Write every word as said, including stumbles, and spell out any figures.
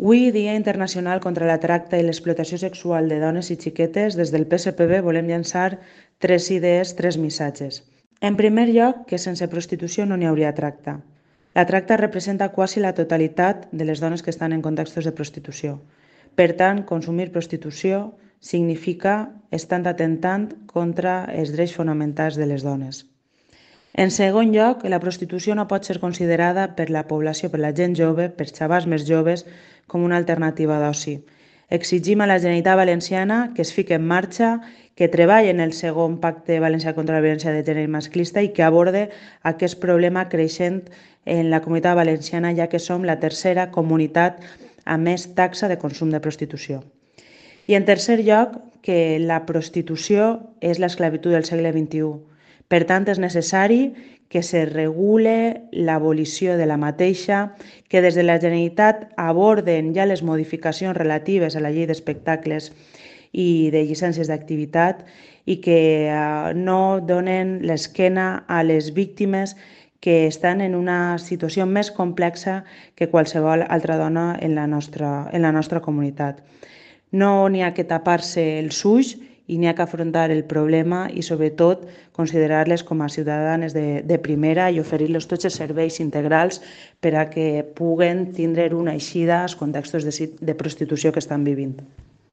Avui, Dia Internacional contra la Tracta i l'Explotació Sexual de Dones i Xiquetes, des del P S P B volem llançar tres idees, tres missatges. En primer lloc, que sense prostitució no n'hi hauria tracta. La tracta representa quasi la totalitat de les dones que estan en contextos de prostitució. Per tant, consumir prostitució significa estar atentant contra els drets fonamentals de les dones. En segon lloc, la prostitució no pot ser considerada per la població, per la gent jove, per xavals més joves, com una alternativa d'oci. Exigim a la Generalitat Valenciana que es fiqui en marxa, que treballi en el segon pacte valencià contra la violència de gènere masclista i que aborde aquest problema creixent en la Comunitat Valenciana, ja que som la tercera comunitat amb més taxa de consum de prostitució. I en tercer lloc, que la prostitució és l'esclavitud del segle vint-i-u. Per tant, és necessari que se regule l'abolició de la mateixa, que des de la Generalitat aborden ja les modificacions relatives a la llei d'espectacles i de llicències d'activitat i que no donen l'esquena a les víctimes que estan en una situació més complexa que qualsevol altra dona en la nostra, en la nostra comunitat. No n'hi ha que tapar-se els ulls i n'hi ha que afrontar el problema i, sobretot, considerar-les com a ciutadanes de, de primera i oferir-los tots els serveis integrals per a que puguen tindre una eixida als contextos de, de prostitució que estan vivint.